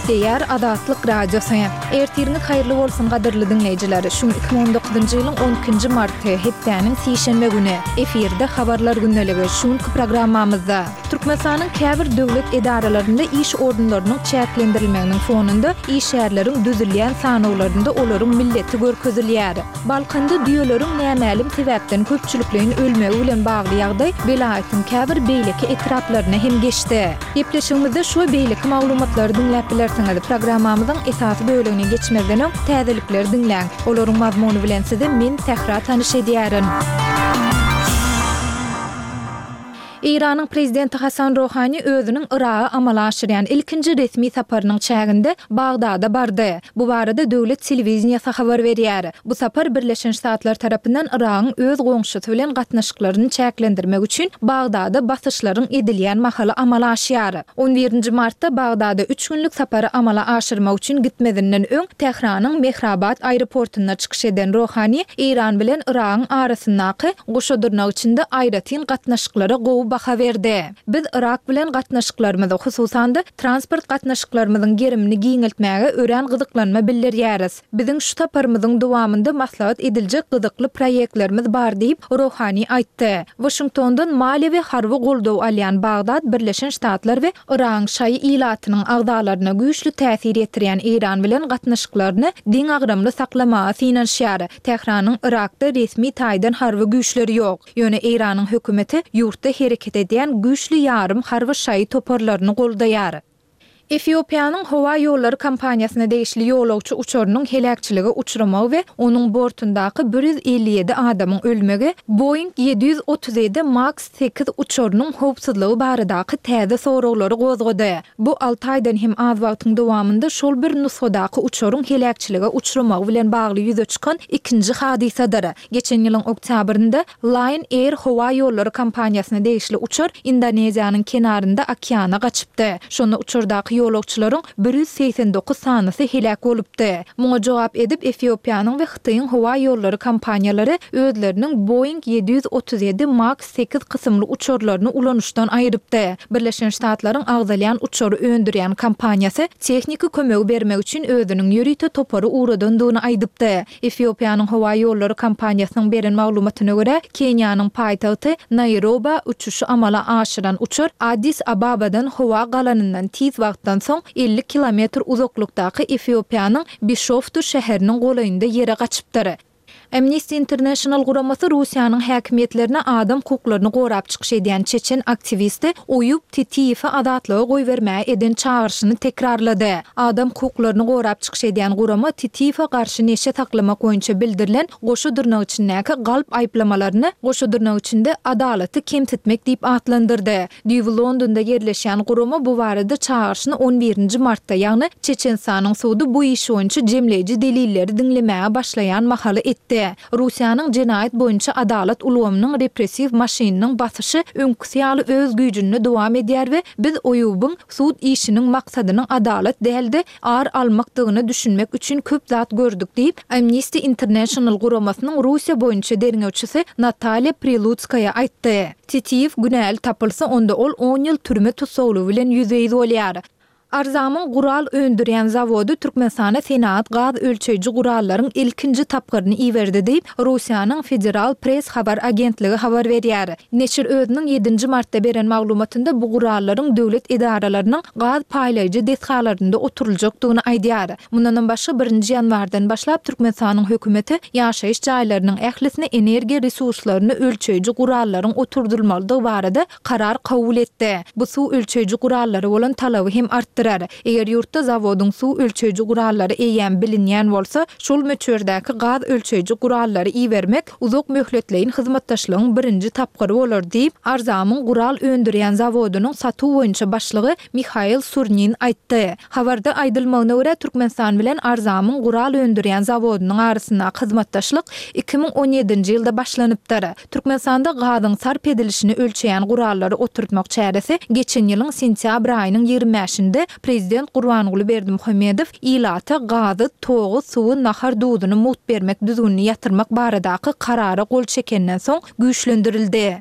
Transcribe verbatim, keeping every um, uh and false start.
Gepleýär Azatlyk Radiosy. Ertiriňiz haýyrly bolsun gadyrly diňleýjiler. Şu gün iki müň on dokuzynjy ýylyň on ikinji marty, hepdäniň sişenbe güni. Efirde Habarlar gündeligi. Şu günki programmamyzda Türkmenistanyň käbir döwlet edaralarynda iş orunlarynyň çäklendirilmeginiň fonunda işgärleriň düzülýän sanawlarynda olaryň milleti görkezilýär. Balkanda düýeleriň nämälim sebäpden köpçülikleýin ölmegi bilen bagly ýagdaý welaýatyň käbir beýleki etraplaryna hem geçdi. Gepleşigimizde şu we beýleki maglumatlary diňläp bilersiňiz. Programmamyzyň esasy bölegine geçmezden öň, täzelikleri diňläň. Olaryň mazmuny bilen sizi men, Sähra tanyş edýärin. Eýranyň prezidenti Hasan Rohani özüniň Yraga amala aşyrýan ilkinji resmi saparynyň çäginde Bagdada bardy. Bu barada döwlet telewideniýesi habar berýär. Bu sapar Birleşen Ştatlar tarapyndan Yragyň öz goňşusy bilen gatnaşyklaryny çäklendirmek üçin Bagdada basyşlaryň edilýän mahaly amala aşýar. On birinji martda Bagdada üç günlük sapary amala aşyrmak üçin gitmezinden öň Tähranyň Mehrabad aeroportynda çykyş eden Rohani Eýran bilen Yragyň arasyndaky, goşa dyrnak içinde, aýratyn gatnaşyklara gowy baha berdi. Biz Yrak bilen gatnaşyklarymyzy, hususan-da, transport gatnaşyklarymyzyň gerimini giňeltmäge örän gyzyklanma bildirýäris. Biziň şu saparymyzyň dowamynda maslahat ediljek gyzykly proýektlerimiz bar diýip, Rohani aýtdy. Waşingtondan maliýe we harby goldaw alýan Bagdat Birleşen Ştatlar we Yragyň şaýy ilatynyň agzalaryna güýçli täsir ýetirýän Eýran bilen gatnaşyklaryny deňagramly saklamaga synanyşýar. Tähranyň Yrakda resmi taýdan harby güýçleri ýok. Ýöne Eýranyň hökümeti ýurtda hereket edýän güýçli ýarym harby şaýy toparlaryny goldaýar. Efiopiýanyň howa ýollary kompaniýasyna degişli ýolagçy uçarynyň heläkçilige uçramagy we onuň bortundaky bir ýüz elli ýedi adamyň ölmegi Boeing ýedi ýüz otuz ýedi Max sekiz uçarynyň howpsuzlygy baradaky täze soraglary gozgady. Bu alty aýdan hem az wagtyň dowamynda şol bir nusgadaky uçaryň heläkçilige uçramagy bilen bagly ýüze çykan ikinji hadysadyr. Geçen ýylyň oktýabrynda Lion Air howa ýollary kompaniýasyna degişli uçar Indoneziýanyň kenarynda okeana gaçypdy. Şonda uçardaky ýolagçylaryň bir ýüz segsen dokuz sanysy heläk bolupdy. Muňa jogap edip, Efiopiýanyň we Hytaýyň howa ýollary kompaniýalary özleriniň Boeing ýedi ýüz otuz ýedi Max sekiz kysymly uçarlaryny ulanyşdan aýrypdy. Birleşen Ştatlaryň agzalýan uçary öndürýän kompaniýasy tehniki kömegi bermek üçin özüniň ýörite topary ugradandygyny aýdypdy. Efiopiýanyň howa ýollary kompaniýasynyň beren maglumatyna görä, Keniýanyň paýtagty Naýroba uçuşy amala aşyran uçar Addis Ababadan howa galanyndan tiz wagtdan soň elli kilometr uzaklykdaky Efiopiýanyň Bişoftu şäheriniň golaýynda ýere gaçypdyr. Amnesty International guramasy Russiýanyň häkimiýetlerine adam hukuklaryny gorap çykyş edýän çeçen aktiwisti Oýub Titiýewi azatlyga goýbermäge eden çagyryşyny tekrarlady. Adam hukuklaryny gorap çykyş edýän gurama Titiýewe garşy neşe saklamak boýunça bildirilen goşa dyrnak içindäki galp aýyplamalaryny goşa dyrnak içinde adalaty kemsitmek diýip atlandyrdy. Düýbi Londonda ýerleşýän gurama bu barada çagyryşyny on birinji martda, ýagny Çeçenistanyň sudy bu iş boýunça jemleýji delilleri diňlemäge başlaýan mahaly etdi. Russiýanyň jenaýat boýunça adalat ulgamynyň repressiw maşynynyň basyşy öňküsi ýaly öz güýjünde dowam edýär we biz Oýubyň sud işiniň maksadynyň adalat däl-de, ar almakdygyna düşünmek üçin köp zat gördük diýip, Amnesty International guramasynyň Russiýa boýunça derňewçisi Natalýa Prilutskaýa aýtdy. Titiýew günäli tapylsa, onda ol on ýyl türme tussaglygy bilen ýüzbe-ýüz bolýar. Arzamyň gural öndürýän zawody Türkmenistana senagat gaz ölçeýji gurallaryň ilkinji tapgyryny iberdi diýip, Russiýanyň Federal Press habar agentligi habar berýär. Neşir özüniň ýedinji martda beren maglumatynda bu gurallaryň döwlet edaralarynyň gaz paýlaýjy desgalarynda oturyljakdygyny aýdýar. Mundanam başga, birinji ýanwardan başlap Türkmenistanyň hökümeti ýaşaýyş jaýlarynyň ählisine energiýa resurslaryny ölçeýji gurallaryň oturdylmalydygy barada karar kabul etdi. Bu suw ölçeýji gurallara bolan talaby hem artdyrar. Eger ýurtda zawodyň suw ölçeýji gurallary eýýäm bilinýän bolsa, şol möçberdäki gaz ölçeýji gurallary ibermek uzak möhletleýin hyzmatdaşlygyň birinji tapgyry bolar diýip, Arzamyň gural öndürýän zawodynyň satuw boýunça başlygy Mihail Surnin aýtdy. Habarda aýdylmagyna görä, Türkmenistan bilen Arzamyň gural öndürýän zawodynyň arasyndaky hyzmatdaşlyk iki müň on ýedinji ýylda başlanypdyr. Türkmenistanda gazyň sarp edilişini ölçeýän gurallary oturtmak çäresi geçen ýylyň sentýabr aýynyň ýigrimi bäşinde prezident Gurbanguly Berdimuhamedow ilata gazy, togy, suwy, nahar duzuny mugt bermek düzgünini ýatyrmak baradaky Karara gol çekenden soň güýçlendirildi.